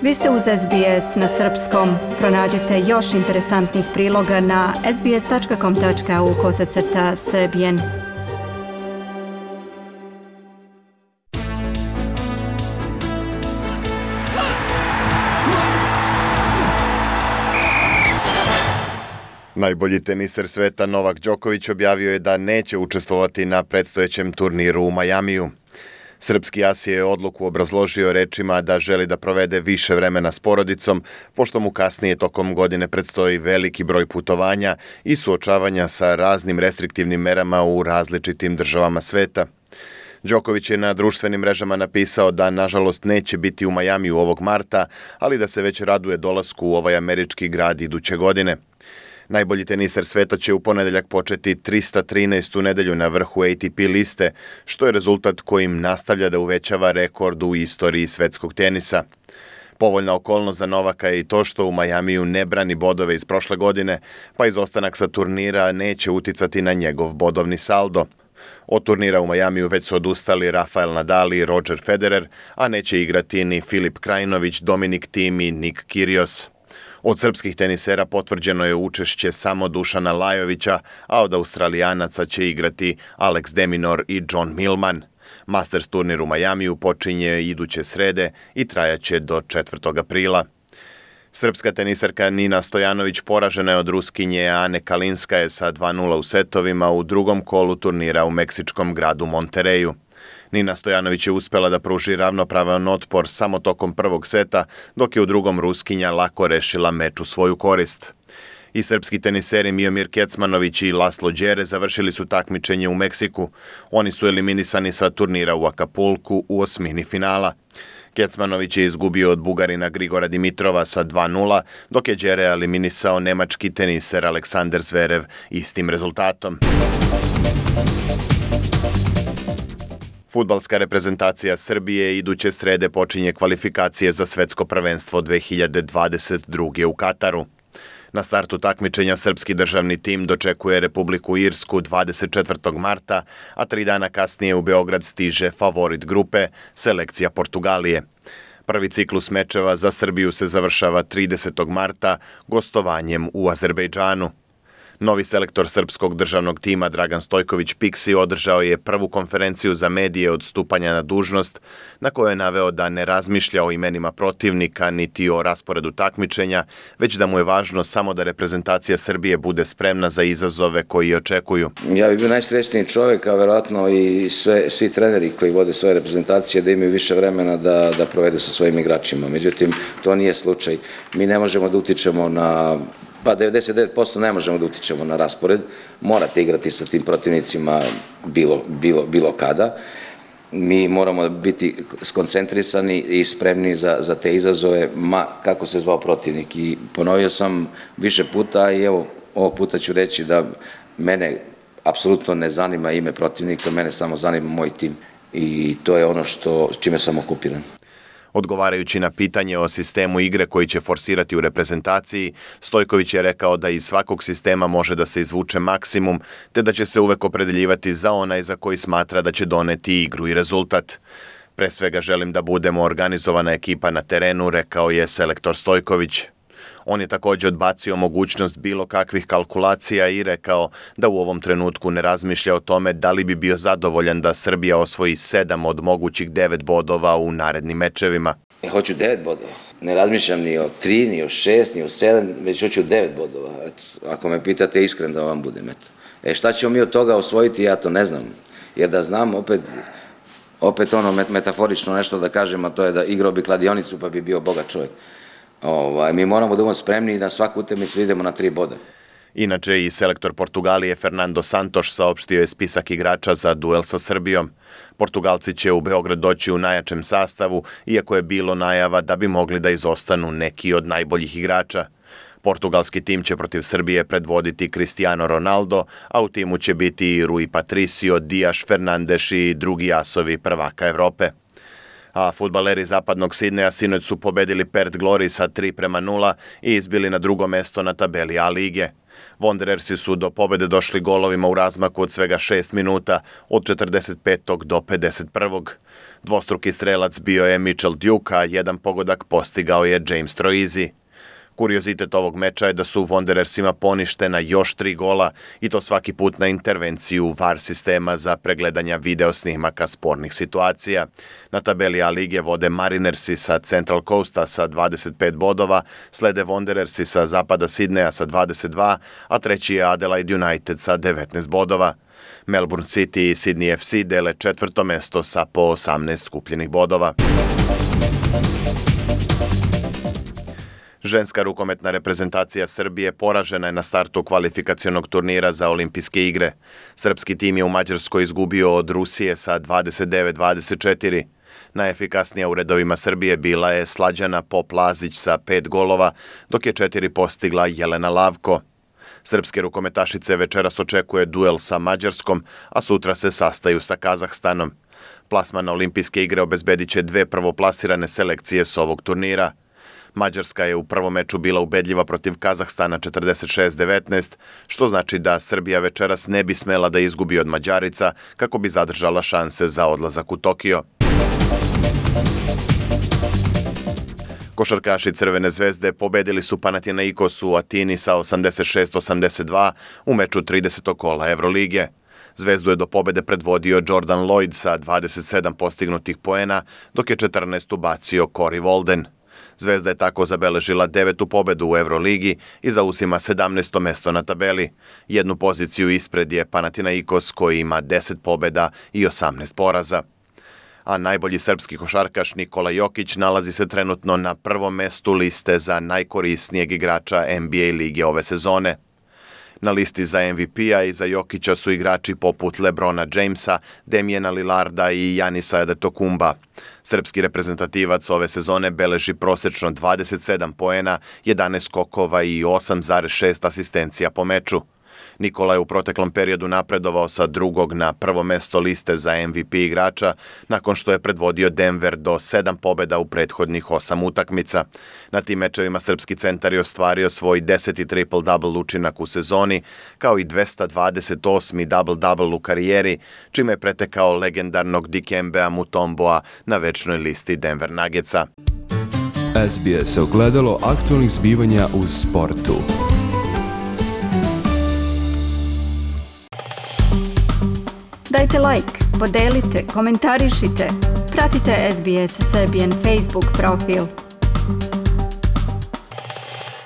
Vi ste uz SBS na srpskom. Pronađite još interesantnih priloga na sbs.com.au/srbijen. Najbolji teniser sveta Novak Đoković objavio je da neće učestvovati na predstojećem turniru u Majamiju. Srpski as je odluku obrazložio rečima da želi da provede više vremena s porodicom, pošto mu kasnije tokom godine predstoji veliki broj putovanja i suočavanja sa raznim restriktivnim merama u različitim državama sveta. Đoković je na društvenim mrežama napisao da nažalost neće biti u Majamiju ovog marta, ali da se već raduje dolasku u ovaj američki grad iduće godine. Najbolji teniser sveta će u ponedeljak početi 313. nedelju na vrhu ATP liste, što je rezultat kojim nastavlja da uvećava rekord u istoriji svetskog tenisa. Povoljna okolnost za Novaka je i to što u Majamiju ne brani bodove iz prošle godine, pa izostanak sa turnira neće uticati na njegov bodovni saldo. Od turnira u Majamiju već su odustali Rafael Nadal i Roger Federer, a neće igrati ni Filip Krajinović, Dominik Thiem i Nik Kyrgios. Od srpskih tenisera potvrđeno je učešće samo Dušana Lajovića, a od Australijanaca će igrati Alex de Minaur i John Millman. Masters turnir u Majamiju počinje iduće srede i trajaće do 4. aprila. Srpska tenisarka Nina Stojanović poražena je od Ruskinje Ane Kalinskaje sa 2:0 u setovima u drugom kolu turnira u meksičkom gradu Monterreju. Nina Stojanović je uspela da pruži ravnopravan otpor samo tokom prvog seta, dok je u drugom Ruskinja lako rešila meč u svoju korist. I srpski teniseri Miomir Kecmanović i Laslo Đere završili su takmičenje u Meksiku. Oni su eliminisani sa turnira u Akapulku u osmini finala. Kecmanović je izgubio od Bugarina Grigora Dimitrova sa 2:0, dok je Đere eliminisao nemački teniser Aleksander Zverev istim rezultatom. Fudbalska reprezentacija Srbije iduće srede počinje kvalifikacije za svetsko prvenstvo 2022. u Kataru. Na startu takmičenja srpski državni tim dočekuje Republiku Irsku 24. marta, a 3 dana kasnije u Beograd stiže favorit grupe, selekcija Portugalije. Prvi ciklus mečeva za Srbiju se završava 30. marta gostovanjem u Azerbejdžanu. Novi selektor srpskog državnog tima Dragan Stojković Piksi održao je prvu konferenciju za medije od stupanja na dužnost, na kojoj je naveo da ne razmišlja o imenima protivnika niti o rasporedu takmičenja, već da mu je važno samo da reprezentacija Srbije bude spremna za izazove koji je očekuju. Ja bih bio najsrećniji čovjek, a verovatno i svi treneri koji vode svoje reprezentacije da imaju više vremena da provedu sa svojim igračima. Međutim, to nije slučaj. Mi ne možemo da utičemo na 99% ne možemo da utičemo na raspored, morate igrati sa tim protivnicima bilo kada. Mi moramo biti skoncentrisani i spremni za te izazove, kako se zvao protivnik. I ponovio sam više puta i evo, ovog puta ću reći da mene apsolutno ne zanima ime protivnika, mene samo zanima moj tim. I to je ono čime sam okupiran. Odgovarajući na pitanje o sistemu igre koji će forsirati u reprezentaciji, Stojković je rekao da iz svakog sistema može da se izvuče maksimum, te da će se uvek opredeljivati za onaj za koji smatra da će doneti igru i rezultat. Pre svega želim da budemo organizovana ekipa na terenu, rekao je selektor Stojković. On je također odbacio mogućnost bilo kakvih kalkulacija i rekao da u ovom trenutku ne razmišlja o tome da li bi bio zadovoljan da Srbija osvoji 7 od mogućih 9 bodova u narednim mečevima. Ja hoću 9 bodova. Ne razmišljam ni o 3, ni o 6, ni o 7, već hoću 9 bodova. Eto, ako me pitate, iskren da vam budem. Šta ćemo mi od toga osvojiti, ja to ne znam. Jer da znam, opet ono metaforično nešto da kažem, a to je da igrao bi kladionicu pa bi bio bogat čovjek. Mi moramo da budemo spremni i na svaku utakmicu idemo na 3 boda. Inače, i selektor Portugalije Fernando Santos saopštio je spisak igrača za duel sa Srbijom. Portugalci će u Beograd doći u najjačem sastavu, iako je bilo najava da bi mogli da izostanu neki od najboljih igrača. Portugalski tim će protiv Srbije predvoditi Cristiano Ronaldo, a u timu će biti i Rui Patricio, Dias Fernandes i drugi asovi prvaka Evrope. A fudbaleri zapadnog Sidneja sinoć su pobedili Perth Glory sa 3-0 i izbili na drugo mesto na tabeli A lige. Wanderersi su do pobede došli golovima u razmaku od svega 6 minuta, od 45. do 51. Dvostruki strelac bio je Mitchell Duke, a jedan pogodak postigao je James Troisi. Kuriozitet ovog meča je da su Wanderersima poništena još 3 gola i to svaki put na intervenciju VAR sistema za pregledanja video snimaka spornih situacija. Na tabeli A lige vode Marinersi sa Central Coasta sa 25 bodova, slede Wanderersi sa zapada Sidneja sa 22, a treći je Adelaide United sa 19 bodova. Melbourne City i Sydney FC dele četvrto mesto sa po 18 skupljenih bodova. Ženska rukometna reprezentacija Srbije poražena je na startu kvalifikacionog turnira za olimpijske igre. Srpski tim je u Mađarskoj izgubio od Rusije sa 29-24. Najefikasnija u redovima Srbije bila je Slađana Pop-Lazić sa 5 golova, dok je 4 postigla Jelena Lavko. Srpske rukometašice večeras očekuje duel sa Mađarskom, a sutra se sastaju sa Kazahstanom. Plasman na olimpijske igre obezbedit će 2 prvoplasirane selekcije s ovog turnira. Mađarska je u prvom meču bila ubedljiva protiv Kazahstana 46-19, što znači da Srbija večeras ne bi smela da izgubi od Mađarica kako bi zadržala šanse za odlazak u Tokio. Košarkaši Crvene zvezde pobedili su Panathinaikos u Atini sa 86-82 u meču 30. kola Evrolige. Zvezdu je do pobede predvodio Jordan Lloyd sa 27 postignutih poena, dok je 14 ubacio Corey Walden. Zvezda je tako zabeležila 9. pobedu u Evroligi i zauzima 17. mesto na tabeli. Jednu poziciju ispred je Panathinaikos koji ima 10 pobeda i 18 poraza. A najbolji srpski košarkaš Nikola Jokić nalazi se trenutno na prvom mestu liste za najkorisnijeg igrača NBA lige ove sezone. Na listi za MVP-a i za Jokića su igrači poput LeBrona Jamesa, Damiana Lillarda i Janisa Adetokumba. Srpski reprezentativac ove sezone beleži prosečno 27 poena, 11 skokova i 8,6 asistencija po meču. Nikola je u proteklom periodu napredovao sa drugog na prvo mesto liste za MVP igrača, nakon što je predvodio Denver do 7 pobeda u prethodnih 8 utakmica. Na tim mečevima srpski centar je ostvario svoj 10. triple-double učinak u sezoni, kao i 228. double-double u karijeri, čime je pretekao legendarnog Dikembea Mutomboa na večnoj listi Denver Nuggetsa. SBS ogledalo aktualnih zbivanja u sportu. Dajte like, podelite, komentarišite. Pratite SBS Serbian Facebook profil.